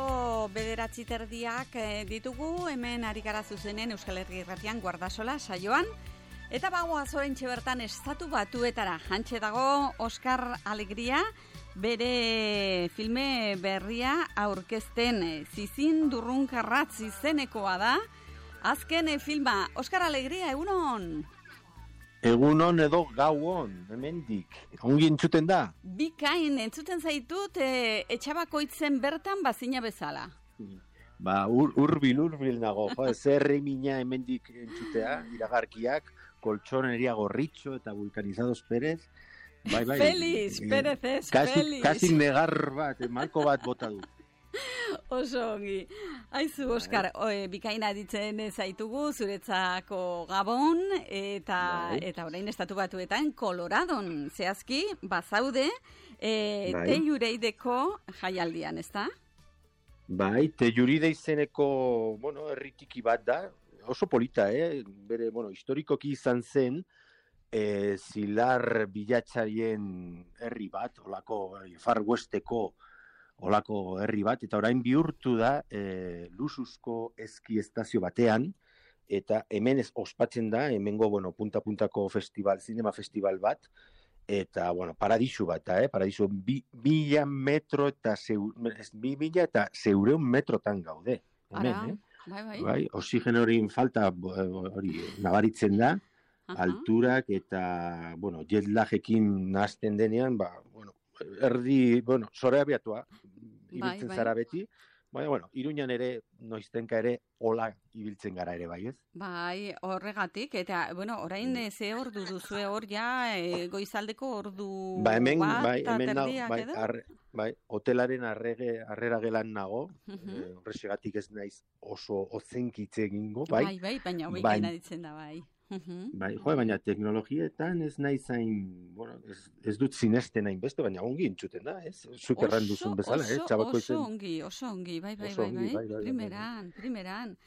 Arratsaldeko 9:30 ditugu, hemen ari gara zuzenen Euskal Herri Irratian Guardasola saioan. Eta bagoaz oraintxe bertan Estatu Batuetara. Hantxe dago Oskar Alegria, bere filme berria aurkezten, Zizin Durrunkarratz izenekoa da. Azken filma, Oskar Alegria, egunon? Egunon edo gauon, hemendik. Ongi entzuten da? Bikain, entzuten zaitut, etxabakoitzen bertan bazina bezala. Ba, urbil nago. Zerri mina hemendik entzutea, iragarkiak, koltsoneria Gorritxo eta Vulcanizados Pérez. Bai. Feliz, Pérez ez, Feliz. Kasi negar bat, malko bat bota du. Oso ongi. Aizu, Oskar, bikaina ditzen zaitugu, zuretzako Gabon, eta orain Estatu Batuetan Koloradon, zehazki, bazaude, Tellureideko jaialdian, ezta? Bai, Telluride izeneko, herritiki bat da, oso polita, bere, historikoki izan zen, zilar bilatzarien herri bat, olako Far Westeko olako herri bat, eta orain bihurtu da luxuzko eski estazio batean, eta hemen ospatzen da, hemengo, punta-puntako zinema festival bat, eta, paradisu bat, paradisu 2.000 metro eta 2.000 metrotan gaude. Hemen, bai, oxigen hori falta hori nabaritzen da, alturak eta, jet lagekin nahazten denean, erdi, zore abiatua, ibiltzen zara beti, baina, Iruñan ere, noiztenka ere, hola ibiltzen gara ere, bai ez? Bai, horregatik, eta, orain ze ordu duzue hor, goizaldeko ordu hemen, bat terdiak edo? Hotelaren arrera gelan nago, horrexegatik ez naiz oso ozenkitze egingo, bai? Bai, baina hobeikena ditzen da, bai. Bai, baina teknologietan ez nahi zain, ez dut sinesten hain beste, baina ongi entzuten da, ez? Zuk erran duzun bezala, Oso ongi, bai, primeran.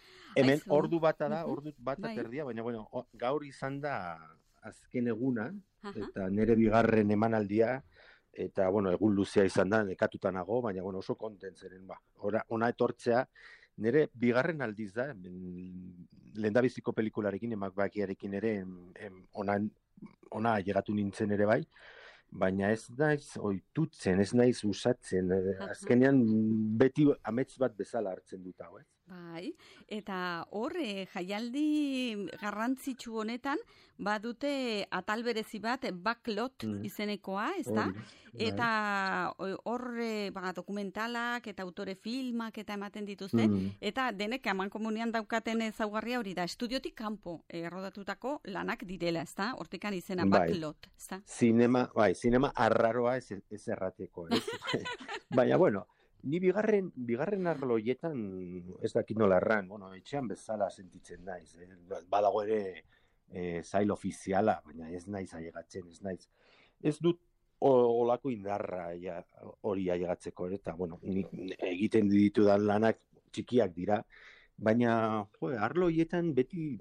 Hemen ordu bata da, ordu bata terdia, baina, gaur izan da azken eguna, eta nire bigarren emanaldia, eta, egun luzea izan da, nekatuta nago, baina, oso kontentzeren, ona etortzea, nire bigarren aldiz da, lehendabiziko pelikularekin, emakbakiarekin ere, ona llegatu nintzen ere bai, baina ez naiz ohitutzen, ez naiz usatzen, azkenean beti amets bat bezala hartzen dut hau, ez? Bai, eta hor, jaialdi garrantzitsu honetan, badute atal berezi bat, backlot izenekoa, ez da? Eta hor dokumentalak eta autore filmak eta ematen dituzte, eta denek eman komunian daukaten ezaugarria hori da, estudiotik kanpo errodatutako lanak direla, ez da? Hortikan izena backlot, ez da? Zinema arraroa ez errateko, ez? Baina, ni bigarren arloietan ez dakit nola erran, etxean bezala sentitzen naiz. Badago ere zail ofiziala, baina ez naiz ailegatzen, ez naiz. Ez dut olako indarra hori ailegatzeko, eta egiten ditudan lanak txikiak dira, baina arlo horietan beti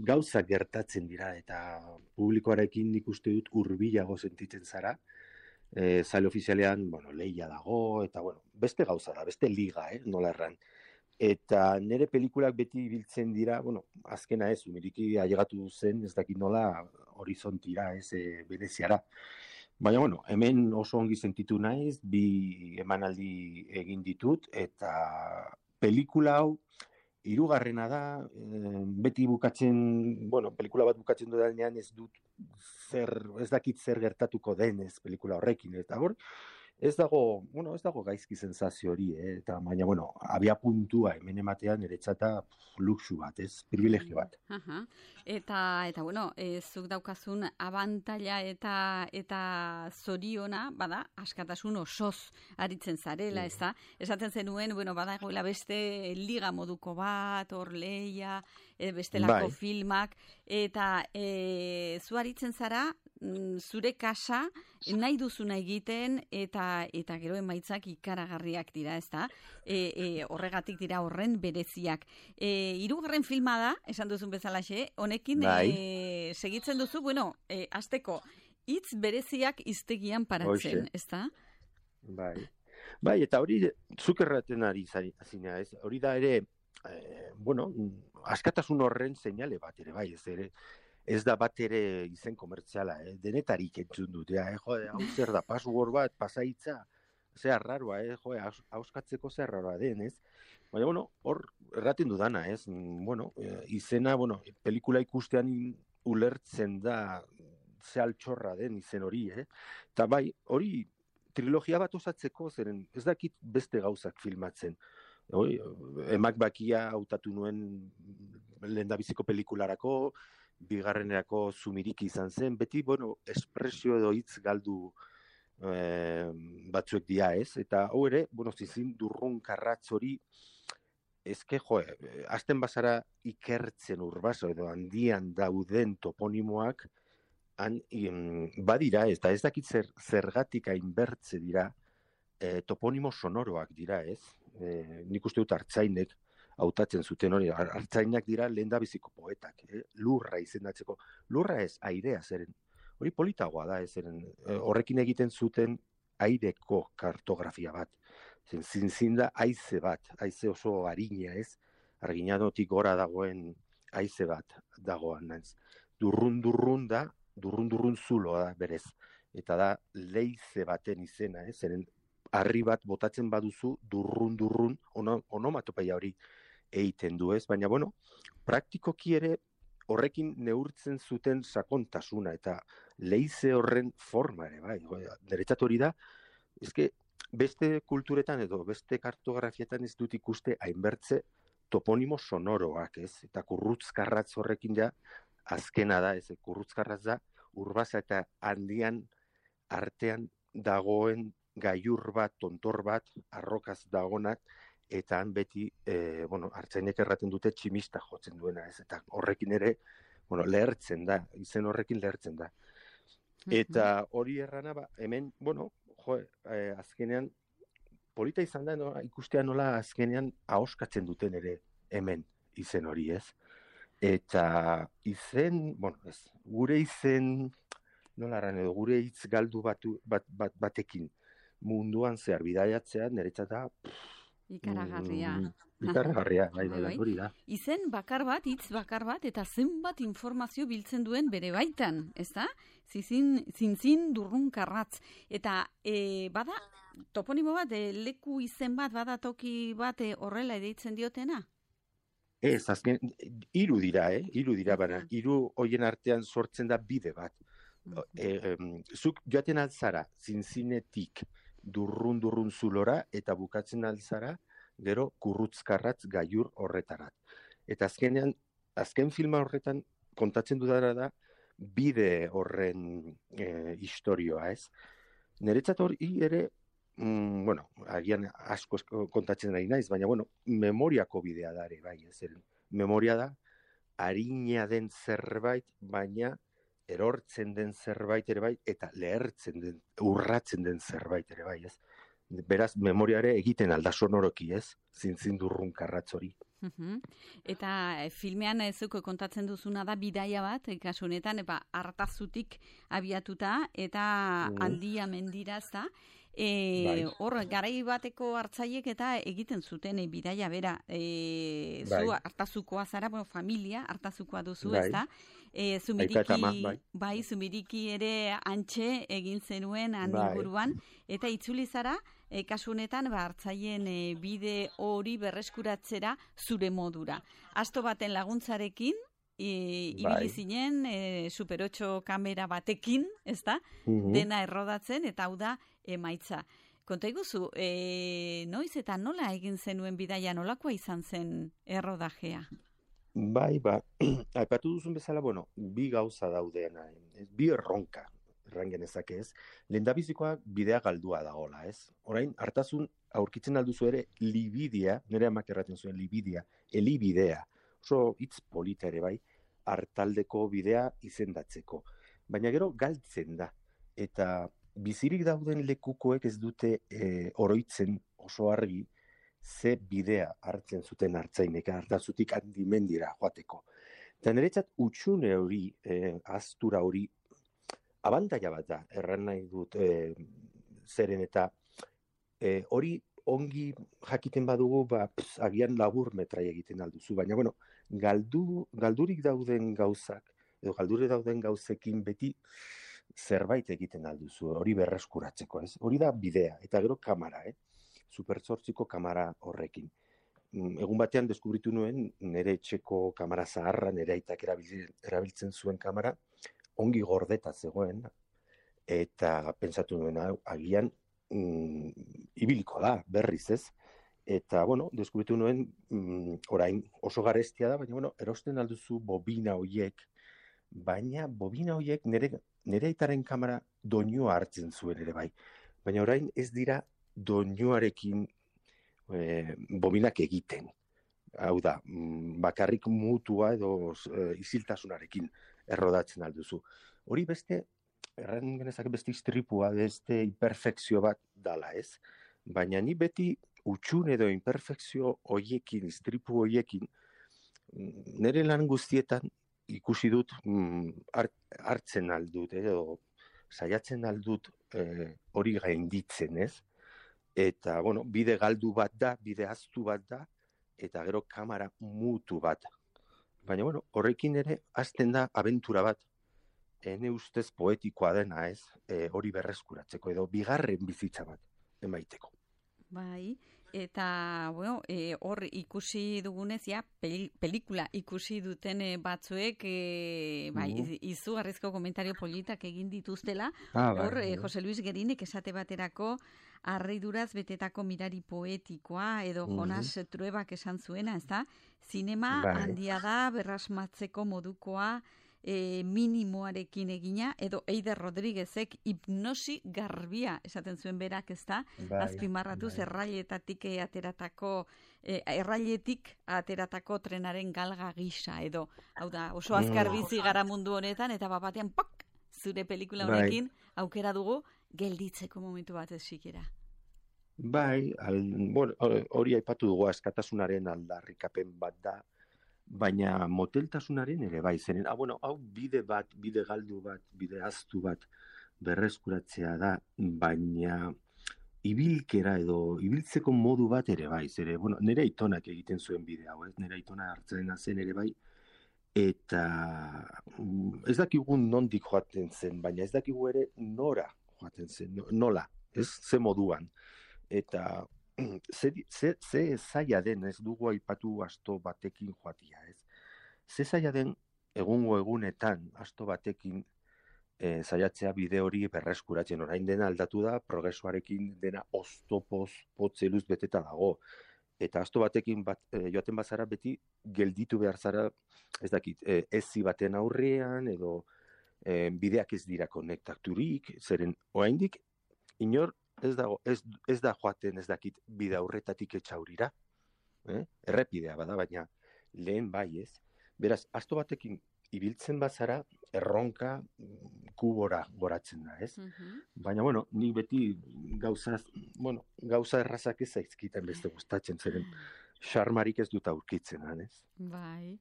gauza gertatzen dira, eta publikoarekin nik uste dut hurbilago sentitzen zara. Zail ofizialean, lehia dago, eta, beste gauza da, beste liga, nola erran. Eta nire pelikulak beti biltzen dira, azkena ez, umiriki ailegatu zen, ez dakit nola horizontira, ez, Veneziara. Baina, hemen oso ongi sentitu naiz, bi emanaldi egin ditut, eta pelikula hau, hirugarrena da, beti bukatzen, pelikula bat bukatzen dudanean ez dakit zer gertatuko denez pelikula horrekin, eta hor, ez dago gaizki sensazio hori, eta baina, abia puntua hemen ematean niretzata luxu bat, ez, privilegio bat. Eta zuk daukazun abantaila eta zoriona, bada, askatasun osoz aritzen zarela, ez da? Esaten zenuen, badagoela beste liga moduko bat, hor lehia, bestelako filmak, eta zu aritzen zara, zure kasa nahi duzuna egiten eta gero emaitzak ikaragarriak dira, ezta? Horregatik dira horren bereziak. Hirugarren filma da, esan duzun bezalaxe, honekin segitzen duzu, hasteko hitz bereziak hiztegian paratzen, ezta? Bai. Bai, eta hori zuk erraten ari zinea, ez? Hori da ere, bueno, askatasun horren seinale bat ere, bai, ez da bat ere izen komertziala, denetarik entzun dut, jode, hau zer da, password bat, pasaitza, zer arraroa, jode, hauskatzeko zer arraroa den, ez? Baina, bueno, hor erraten dudana, ez? Bueno, izena, bueno, pelikula ikustean ulertzen da ze altxorra den izen hori, Eta bai, hori trilogia bat osatzeko, zeren ez dakit beste gauzak filmatzen. Emak bakia hautatu nuen lehendabiziko pelikularako, bigarrenerako Zumiriki izan zen, beti, bueno, espresio edo hitz galdu batzuek dia, ez? Eta hau ere, bueno, zizin durrun karratz hori, ezke, azten bazara ikertzen urbaso edo handian dauden toponimoak, badira, ez da ez dakit zergatik hainbertze dira, toponimo sonoroak dira, ez? Nik uste dut Artzainek hautatzen zuten hori, Artzainak dira lehendabiziko poetak, lurra izendatzeko. Lurra ez, airea zeren. Hori politagoa da, zeren horrekin egiten zuten aireko kartografia bat. Zintzin da haize bat, haize oso arina, ez? Arginanotik gora dagoen haize bat dagoan, naiz. Durrun da, durrun zuloa da berez. Eta da leize baten izena, zeren harri bat botatzen baduzu durrun, onomatopeia hori egiten du, ez? Baina, bueno, praktikoki ere horrekin neurtzen zuten sakontasuna eta leize horren forma ere, bai. Deretzat hori da, ezke beste kulturetan edo beste kartografietan ez dut ikuste hainbertze toponimo sonoroak, ez? Eta kurrutzkarratz horrekin ja, azkena da, ez? Kurrutzkarratz da, urbaza eta handian artean dagoen gailur bat, tontor bat, arrokaz dagonak, eta han beti, Artzainek erraten dute tximista jotzen duena, ez? Eta horrekin ere, lehertzen da, izen horrekin lehertzen da. Eta hori errana, hemen, azkenean, polita izan da, ikustea nola azkenean ahoskatzen duten ere hemen izen hori, ez? Eta izen, gure izen, nola erran edo, gure hitz galdu batekin munduan zehar bidaiatzea, niretzat da... Ikaragarria. Ikaragarria, bai, hori da. Izen bakar bat, hitz bakar bat, eta zenbat informazio biltzen duen bere baitan, ez da? Zintzin durrun karratz. Eta bada, toponimo bat, leku izen bat, bada toki bat horrela edeitzen diotena? Ez, azken, hiru dira, baina, hiru hoien artean sortzen da bide bat. Zuk joaten altzara, zintzinetik durrun zulora, eta bukatzen altzara, gero kurrutzkarratz gailur horretarat. Eta azken filma horretan kontatzen dudara da, bide horren historioa, ez? Niretzat hori ere, agian asko kontatzen nahi naiz, baina, memoriako bidea da ere, bai, ez? Memoria da, arina den zerbait, baina erortzen den zerbait ere bai, eta lehertzen den, urratzen den zerbait ere bai, ez? Beraz, memoria ere egiten alda sonoroki, ez? Zintzin durrun karratz hori. Eta filmean zuko kontatzen duzuna da bidaia bat, kasu honetan, Artazutik abiatuta, eta handia mendira, ez da? Hor, garai bateko hartzaiek eta egiten zuten bidaia bera. Zu Artazukoa zara, familia Artazukoa duzu, ez da? Zumiriki ere antxe egin zenuen inguruan, eta itzuli zara, kasu honetan, hartzaien bide hori berreskuratzera zure modura. Asto baten laguntzarekin, ibili zinen, Super 8 kamera batekin, ez da? Dena errodatzen, eta hau da emaitza. Konta iguzu, noiz eta nola egin zenuen bidaia, nolakoa izan zen errodajea? Bai, aipatu duzun bezala, bi gauza daudeena, bi erronka, errangen ezake ez. Lehendabizikoa bidea galdua dagoela, ez? Orain, Artazun aurkitzen alduzu ere libidea, nire amak erraten zuen libidea, elibidea, oso hitz polita ere bai, hartaldeko bidea izendatzeko. Baina gero galtzen da, eta bizirik dauden lekukoek ez dute oroitzen oso argi, ze bidea hartzen zuten Artzainek, Artazutik handimendira joateko. Eta niretzat utxune hori, aztura hori, abantaila bat da, erran nahi dut zeren eta Hori ongi jakiten badugu, agian labur metrai egiten alduzu, baina bueno, galdurik dauden gauzak, edo galdurik dauden gauzekin beti zerbait egiten alduzu, hori berreskuratzeko, ez? Hori da bidea, eta gero kamera, Super 8ko kamera horrekin. Egun batean deskubritu nuen, nire etxeko kamera zaharra, nire aitak erabiltzen zuen kamera, ongi gordeta zegoen, eta pentsatu nuen, agian, ibiliko da, berriz ez. Eta, bueno, deskubritu nuen, orain oso garestia da, baina, bueno, erosten alduzu bobina hoiek, baina bobina hoiek nire aitaren kamera doinua hartzen zuen ere bai. Baina orain ez dira doinuarekin bobinak egiten. Hau da, bakarrik mutua edo isiltasunarekin errodatzen alduzu. Hori beste, erran genezak beste istripua, beste imperfekzio bat dala ez. Baina ni beti utxun edo imperfekzio hoiekin, istripu hoiekin, nire lan guztietan ikusi dut hartzen aldut, edo saiatzen aldut hori gainditzen ez. Eta, bueno, bide galdu bat da, bide aztu bat da, eta gero kamera mutu bat. Baina, bueno, horrekin ere, hasten da abentura bat, ene ustez poetikoa dena ez, hori berreskuratzeko, edo bigarren bizitza bat emaiteko. Bai, eta, bueno, hor ikusi dugunez, ja, pelikula ikusi duten batzuek, bai, izugarrizko komentario politak egin dituztela, hor, Jose Luis Gerinek esate baterako, harriduraz betetako mirari poetikoa, edo Jonas Truebak esan zuena, ez da? Zinema handia da, berrasmatzeko modukoa, minimoarekin egina, edo Eider Rodriguezek hipnosi garbia esaten zuen berak, ez da? Azpimarratuz errailetik ateratako trenaren galga gisa, edo, hau da, oso azkar bizi gara mundu honetan, eta batean, pak, zure pelikula honekin, aukera dugu, gelditzeko momentu bat ez sikera. Bai, hori aipatu dugu askatasunaren aldarrikapen bat da, baina moteltasunaren ere bai, zeren, hau bide galdu bat, bide aztu bat berreskuratzea da, baina ibilkera edo ibiltzeko modu bat ere bai, zere, nire aitonak egiten zuen bide hau, nire aitona hartzen zen ere bai, eta ez dakigu nondik joaten zen, baina ez dakigu ere nora joaten zen, nola, ez ze moduan. Eta ze zaila den, ez dugu aipatu asto batekin joatia, ez? Ze zaila den egungo egunetan asto batekin zaiatzea bide hori berreskuratzen, orain dena aldatu da, progresoarekin dena oztopoz, potzeluz beteta dago. Eta asto batekin joaten bazara beti gelditu behar zara, ez dakit, ezi baten aurrean, edo bideak ez dira konektaturik, zeren oraindik inor ez da joaten ez dakit bide aurretatik etxaurira, errepidea bada, baina lehen bai ez. Beraz, asto batekin ibiltzen bazara, erronka kubora goratzen da, ez? Baina, ni beti gauza errazak ez zaizkiten beste gustatzen, zeren xarmarik ez dut aurkitzen, ez? Bai.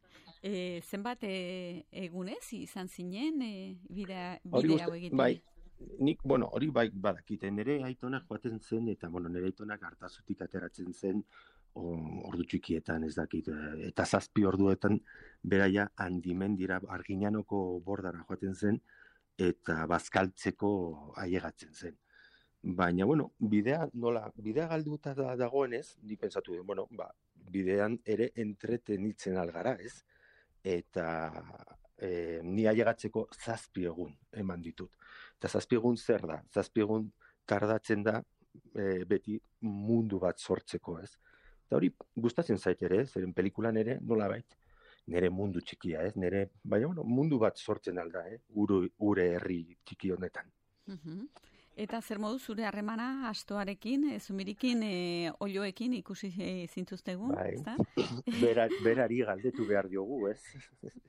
Zenbat egunez izan zinen bide hau egiten? Bai. Nik, hori bai badakite, nire aitonak joaten zen, eta nire aitonak hartazutik ateratzen zen, ordu txikietan ez dakit, eta 7 orduetan beraia handimendira Arginanoko bordara joaten zen, eta bazkaltzeko ailegatzen zen. Baina, bidea galduta dagoenez, nik pentsatu den, bidean ere entretenitzen algara, ez? Eta ni ailegatzeko 7 egun eman ditut. Eta 7 egun zer da? 7 egun tardatzen da beti mundu bat sortzeko, ez? Eta hori gustatzen zait ere, zeren pelikulan ere nolabait nire mundu txikia, ez? Baina mundu bat sortzen alda, gure herri txiki honetan. Eta zer modu zure harremana astoarekin, zumirikin, olioekin ikusi zintuztegun, ezta? Berari galdetu behar diogu, ez?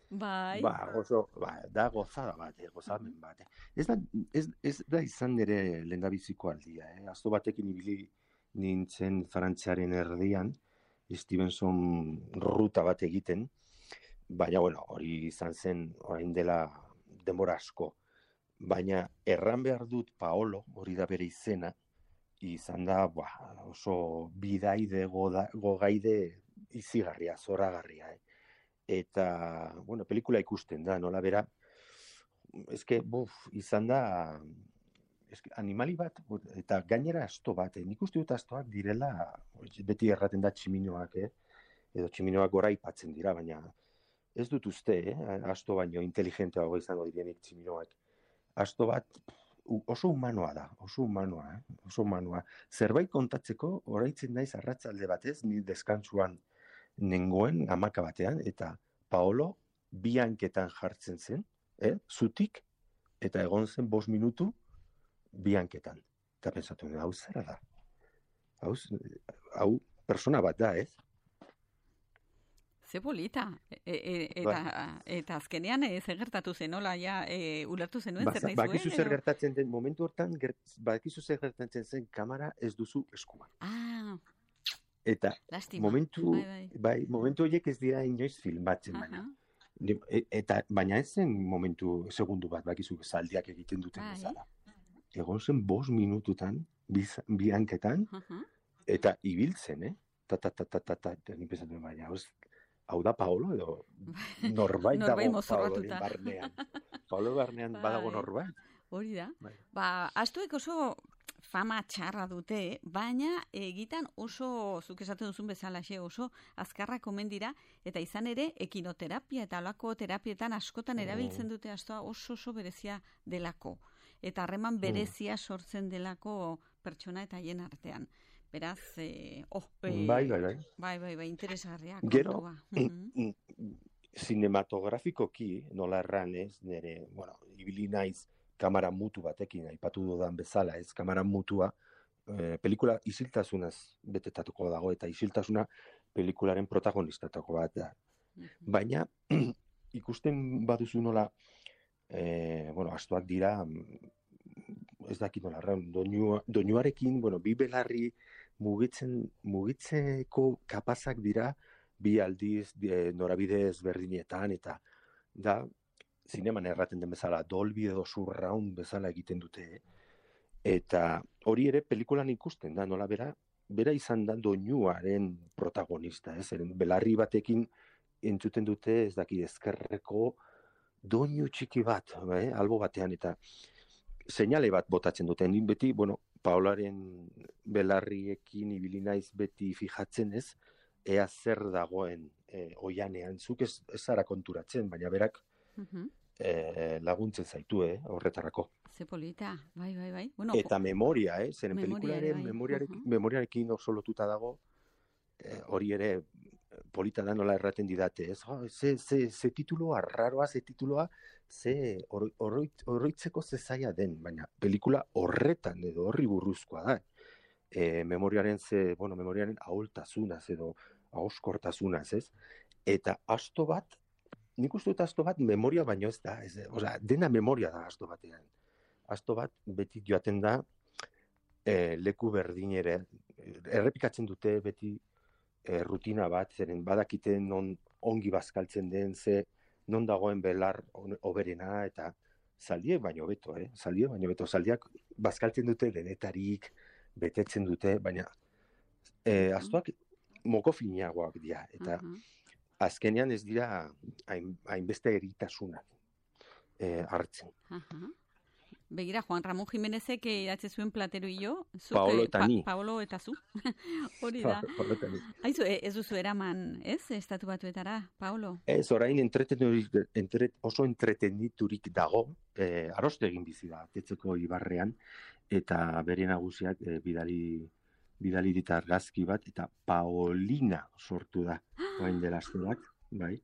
Bai. Da gozada bat, gozamen bat. Ez da izan nire lehendabiziko aldia, asto batekin ibili nintzen Frantziaren erdian, Stevenson ruta bat egiten, baina, hori izan zen orain dela denbora asko. Baina erran behar dut Paolo, hori da bere izena, izan da oso bidaide gogaide izigarria, zoragarria. Eta, bueno, pelikula ikusten da, nola bera, izan da, animali bat, eta gainera asto bat, nik uste dut astoak direla, beti erraten da tximinoak, edo tximinoak gora ipatzen dira, baina ez dut uste, asto baino inteligenteago izango direnik tximinoak. Asto bat oso humanoa da, oso humanoa. Zerbait kontatzeko, oraitzen naiz arratzalde batez, ni deskantsuan nengoen 11 batean, eta Paolo bi hanketan jartzen zen, zutik, eta egon zen 5 minutu bi hanketan. Eta pensatu, hau zera da? Hau persona bat da, ez? Ze polita. Eta azkenean zer gertatu zen, nola, ulertu zenuen zer nahi zuen? Bakizu zer gertatzen den, momentu hortan, bakizu zer gertatzen zen, kamera ez duzu eskuan. Eta lastima. Momentu horiek ez dira inoiz filmatzen, baina. Baina ez zen momentu, segundu bat, bakizu zaldiak egiten duten bezala. Egon zen 5 minututan, bi hanketan, eta ibiltzen, nik pensatu, baina, hau da Paolo, edo norbait dago Paoloren barnean. Paolo barnean badago norbait. Hori da. Astuek oso fama txarra dute, baina egitan oso, zuk esaten duzun bezala, oso azkarrak omen dira, eta izan ere, ekinoterapia eta alako terapietan askotan erabiltzen dute astoa oso berezia delako. Eta harreman berezia sortzen delako pertsona eta hien artean. Beraz, bai, interesgarria. Gero, sinematografikoki, nola erran ez, nire, ibili naiz kamera mutu batekin, aipatu dudan bezala, ez kamera mutua, pelikula isiltasunaz betetatuko dago, eta isiltasuna pelikularen protagonistatuko bat da. Baina, ikusten baduzu nola, astoak dira, ez dakit nola, doinuarekin, bi belarri mugitzeko kapazak dira, bi aldiz, norabide ezberdinetan, eta da, zineman erraten den bezala, Dolby edo Surround bezala egiten dute, eta hori ere pelikulan ikusten da, nola bera izan da doinuaren protagonista, belarri batekin entzuten dute, ez dakit ezkerreko doinu txiki bat, albo batean, eta seinale bat botatzen dute, nik beti, Paolaren belarriekin ibili naiz beti fijatzen ez, ea zer dagoen oianean, zuk ez zara konturatzen, baina berak laguntzen zaitu, horretarako. Ze polita, bai. Eta memoria, zeren pelikularen memoriarekin oso lotuta dago, hori ere polita da nola erraten didate, ez? Ze tituloa, raroa, ze tituloa, ze oroitzeko ze zaila den, baina pelikula horretan edo horri burruzkoa da. Memoriaren ahultasunaz edo ahoskortasunaz, ez? Eta asto bat, nik uste dut asto bat memoria baino ez da, dena memoria da asto batean. Asto bat beti joaten da leku berdinere, errepikatzen dute beti rutina bat, zeren badakite non ongi bazkaltzen den, non dagoen belar oberena, eta zaldiek baino beto, zaldiak bazkaltzen dute denetarik, betetzen dute, baina astoak moko finagoak dira, eta azkenean ez dira hainbeste eritasunak hartzen. Begira, Juan Ramón Jimenezek idatze zuen Platero y yo. Paolo eta ni. Paolo eta zu. Hori da. Aizu, ez duzu eraman, ez? Estatu Batuetara, Paolo? Ez, orain oso entreteniturik dago, aroste egin bizi da, Tetzeko ibarrean, eta bere nagusiak bidali dit argazki bat, eta Paolina sortu da, orain dela aste bat. Bai.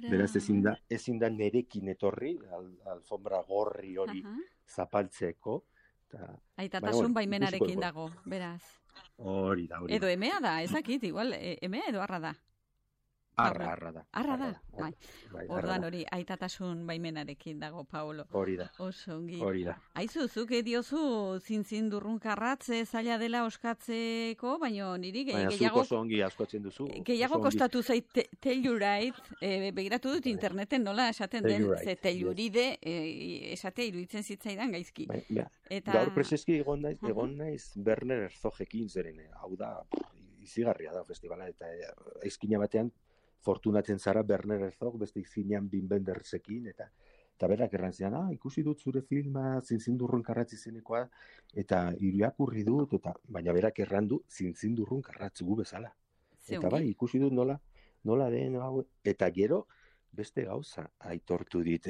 Beraz ezin da nerekin etorri, alfombra gorri hori zapaltzeko. Aitatasun baimenarekin dago, beraz. Hori da. Edo emea da, ezakit, igual, emea edo arra da? Arra da. Arra da, bai. Bai, Ordan hori, aitatasun baimenarekin dago, Paolo. Hori da. Oso ongi. Hori da. Aizu, zuk diozu zintzindurrunkarratze zaila dela oskatzeko, baina niri Baina gehiago... zuk oso ongi askotzen duzu. Gehiago kostatu zait tellurite, begiratu dut interneten nola esaten den, ze telluride esatea iruditzen zitzaidan gaizki. Eta... Gaur preseski egon naiz Werner Herzogekin zeren, hau da, izigarria da festivala, eta izkina batean fortunatzen zara Werner Herzog, beste izinean Wim Wendersekin, eta berak errantzean, ikusi dut zure filma, zintzindurrunkarratz izenekoa, eta irakurri dut, baina berak errandu zintzindurrunkarratz gu bezala. Eta bai, ikusi dut nola den, eta gero, beste gauza aitortu dit.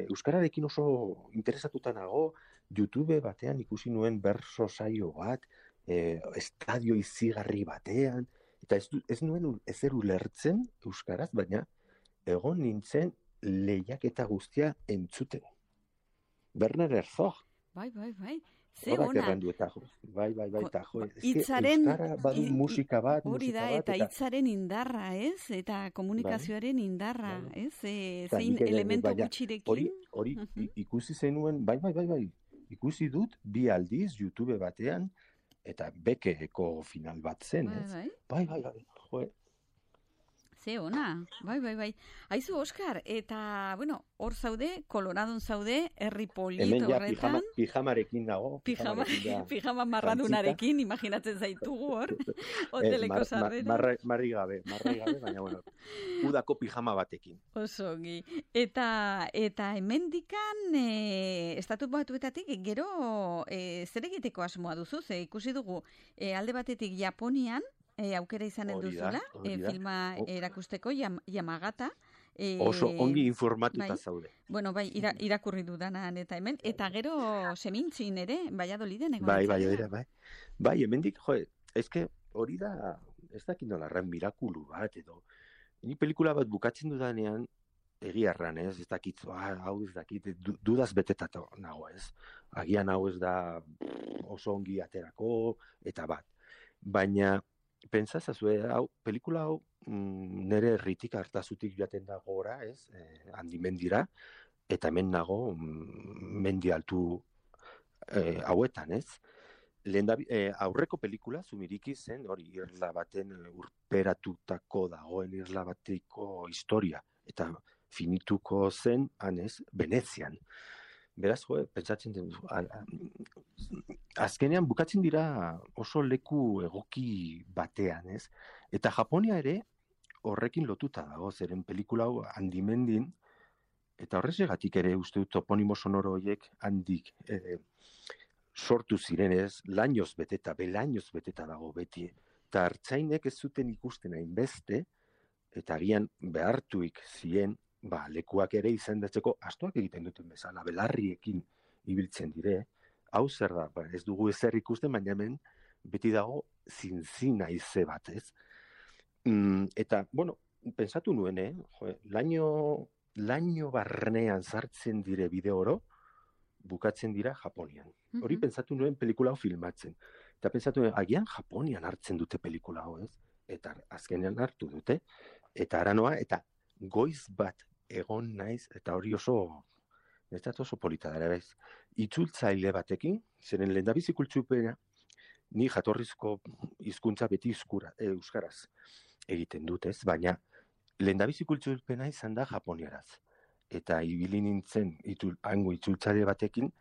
Euskararekin oso interesatuta nago, YouTube batean ikusi nuen berso saio bat, estadio izigarri batean, eta ez nuen ezer ulertzen euskaraz, baina egon nintzen lehiaketa guztia entzuten. Werner Herzog. Bai. Ze ona. Bai, eta jo. Itzaren, euskara badu musika bat, hori da, eta hitzaren indarra, ez? Eta komunikazioaren indarra, ez? Zein elementu gutxirekin. Hori, ikusi zenuen, bai. Ikusi dut, 2 aldiz, YouTube batean, eta bekeko final bat zen, ez? Bai, jo. Ze ona, bai. Aizu, Oskar, eta, bueno, hor zaude, Koloradon zaude, herri polito horretan. Hemen ja pijamarekin dago. Pijama marradunarekin, imaginatzen zaitugu hor, hoteleko sarrera. Marri gabe, baina, bueno, udako pijama batekin. Oso ongi. Eta hemendikan, estatu batuetatik, gero, zer egiteko asmoa duzu, ze ikusi dugu, alde batetik Japonian, aukera izanen duzula, filma erakusteko, Yamagata. Oso ongi informatuta zaude. Bueno, bai, irakurri dudanan eta hemen, eta gero semintzin ere, Valladoliden egon. Bai, hemendik, eske hori da, ez dakit nolarren mirakulu bat, edo, ni pelikula bat bukatzen dudanean, egiarran, ez dakit, hau ez dakit, dudaz betetato nago, ez. Agian hau ez da oso ongi aterako, eta bat. Baina, pentsazazue, pelikula hau nire herritik hartazutik joaten da gora, ez, handi mendira, eta hemen nago mendi altu hauetan, ez. Aurreko pelikula, Zumiriki zen, hori irla baten urperatutako dagoen irla bateko historia, eta finituko zen, hanez, Venezian. Beraz, pentsatzen den, azkenean bukatzen dira oso leku egoki batean, ez? Eta Japonia ere horrekin lotuta dago, zeren pelikula hau handimendin, eta horrezegatik ere uste dut toponimo sonoro horiek handik sortu zirenez, lainoz beteta, belainoz beteta dago beti. Eta hartzainek ez zuten ikusten hainbeste, eta agian behartuik zien, lekuak ere izendatzeko astoak egiten duten bezala, belarriekin ibiltzen dire. Hau zer da, ez dugu ezer ikusten, baina hemen beti dago zintzina ize bat, ez? Eta, bueno, pensatu nuen, laino barnean sartzen dire bideo oro, bukatzen dira Japonian. Hori pentsatu nuen pelikula hau filmatzen. Eta pentsatu nuen, agian Japonian hartzen dute pelikula hau, ez? Eta azkenean hartu dute, eta aranoa, eta goiz bat egon naiz, eta hori oso polita dara, bez. Itzultzaile batekin, zeren lehendabizi kultzupena, ni jatorrizko hizkuntza beti euskaraz egiten dut, ez? Baina lehendabizi kultzupena izan da japoniaraz. Eta ibili nintzen hango itzultzaile batekin,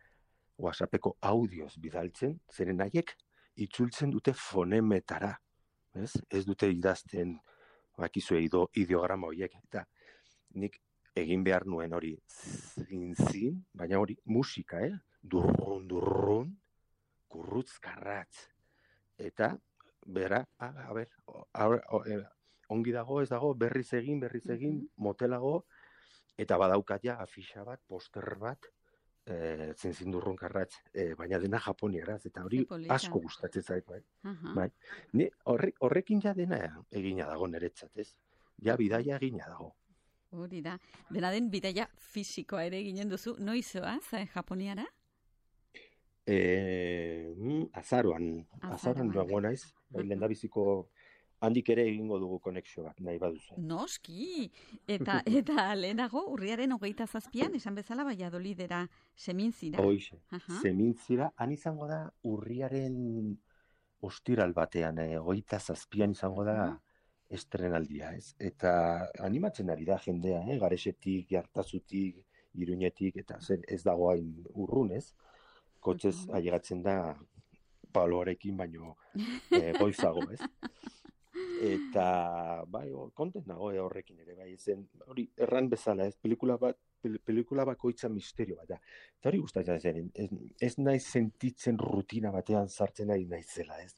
WhatsAppeko audioz bidaltzen, zeren haiek itzultzen dute fonemetara, ez dute idazten, bakizue ideograma horiek, eta nik egin behar nuen hori zintzin, baina hori musika, durrun, kurrutzkarratz. Eta, bera, ongi dago, ez dago, berriz egin, motelago, eta badaukat ja afixa bat, poster bat, zintzindurrunkarratz, baina dena japoniaraz, eta hori asko gustatzen zait, bai. Ni horrekin ja dena egina dago niretzat, ez? Ja bidaia egina dago. Hori da. Dena den bidaia fisikoa ere eginen duzu. Noizoaz, Japoniara? Azaroan duago naiz. Lehendabiziko handik ere egingo dugu konexio bat, nahi baduzu. Noski! Eta lehenago, urriaren 27an, esan bezala Valladolidera, Semintzira. Hoixe, Semintzira, han izango da urriaren ostiral batean, 27an izango da estrenaldia, ez? Eta animatzen ari da jendea, Garesetik, Jartazutik, Iruñetik, eta ez dago hain urrun, ez? Kotxez ailegatzen da Pabloarekin, baino goizago, ez? Eta, bai, kontent nago horrekin ere, bai, zen, hori, erran bezala, ez? Pelikula bakoitza misterio bat, eta hori gustatzen zen, ez naiz sentitzen rutina batean sartzen ari naizela, ez?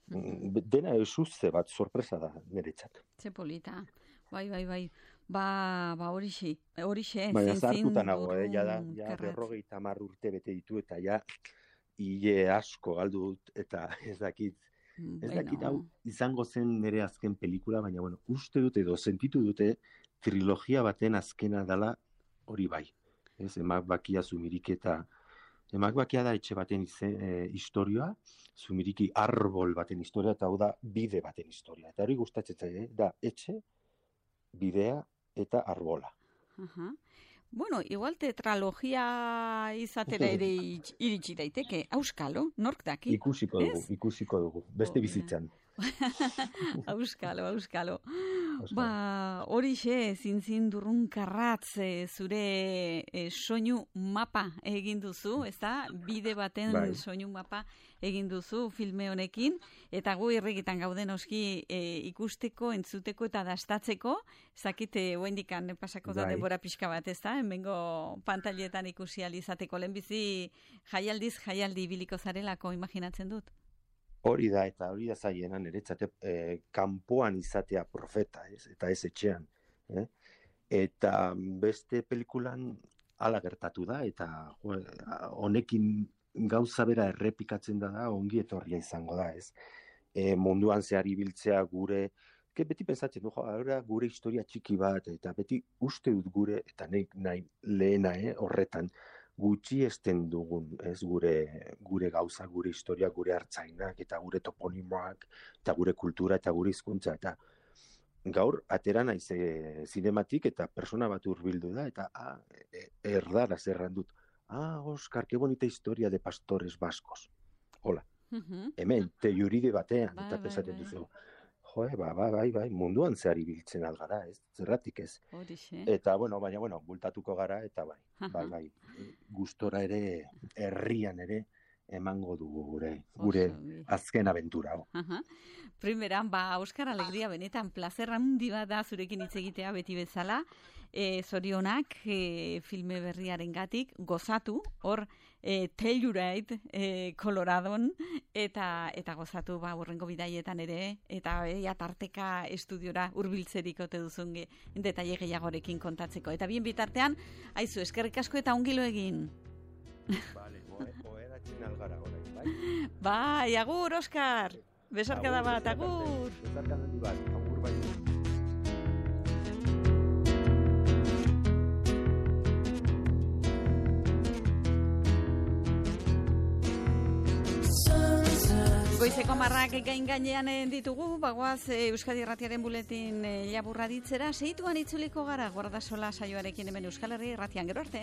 Dena esuzte bat, sorpresa da niretzat. Ze polita, bai. Ba horixe. Baina zartuta nago, ja 50 urte bete ditu, eta ja hile asko galdu dut, eta ez dakit hau izango zen nire azken pelikula, baina bueno, uste dute edo sentitu dute trilogia baten azkena dela hori bai. Ez, Emak Bakia, Zumiriki eta Emak Bakia da etxe baten historioa, Zumiriki arbol baten historia, eta hau da bide baten historia. Eta hori gustatzen zaie, da etxe, bidea eta arbola. Bueno, igual tetralogia izatera ere iritsi daiteke. Auskalo, nork daki? Ikusiko dugu. Beste bizitzan. Auskalo. Ba, horixe, zintzin durrunkarratz zure soinu mapa egin duzu, ez da? Bide baten soinu mapa egin duzu filme honekin, eta gu irrikitan gauden oski ikusteko, entzuteko eta dastatzeko, zakite oendikan pasako da denbora pixka bat, ez da? Hemengo pantailetan ikusi alizateko lehenbizi jaialdi ibiliko zarelako imaginatzen dut. Hori da, eta hori da zaiena niretzat kanpoan izatea profeta, eta ez etxean. Eta beste pelikulan hala gertatu da, eta honekin gauza bera errepikatzen da ongi etorria izango da, ez? Munduan zehar ibiltzea gure, beti pensatzen du, gure historia txiki bat, eta beti uste dut gure, eta nahi lehena horretan, gutxi esten dugun, ez, gure gauza, gure historia, gure hartzainak, eta gure toponimoak, eta gure kultura, eta gure hizkuntza, eta gaur atera naiz zinematik, eta persona bat hurbildu da, eta erdaraz erran dut, Oscar, qué bonita historia de pastores vascos. Hola, hemen, telluride batean, eta pesaten duzu. Bai, munduan zehar ibiltzen algara, ez? Zerratik ez. Eta, baina, bultatuko gara, eta bai, gustora ere, herrian ere, emango dugu gure azken abentura. Primeran, Oskar, alegria benetan, plazer handi bat da zurekin hitz egitea beti bezala, zorionak filme berriaren gatik, gozatu, hor Telluride, Coloradon, eta gozatu hurrengo bidaietan ere, eta tarteka estudiora hurbiltzerik ote duzun detaile gehiagorekin kontatzeko. Eta bien bitartean, aizu, eskerrik asko eta ongilo egin. Vale, oheratzen algara orain, bai? Bai, agur, Oskar! Besarkada bat, agur! Besarkada bat, agur bai. Goizeko marrak gain gainean ditugu, bagoaz Euskadi Irratiaren buletin laburra ditzera, seituan itzuliko gara, Guardasola saioarekin hemen Euskal Herri Irratian, gero arte.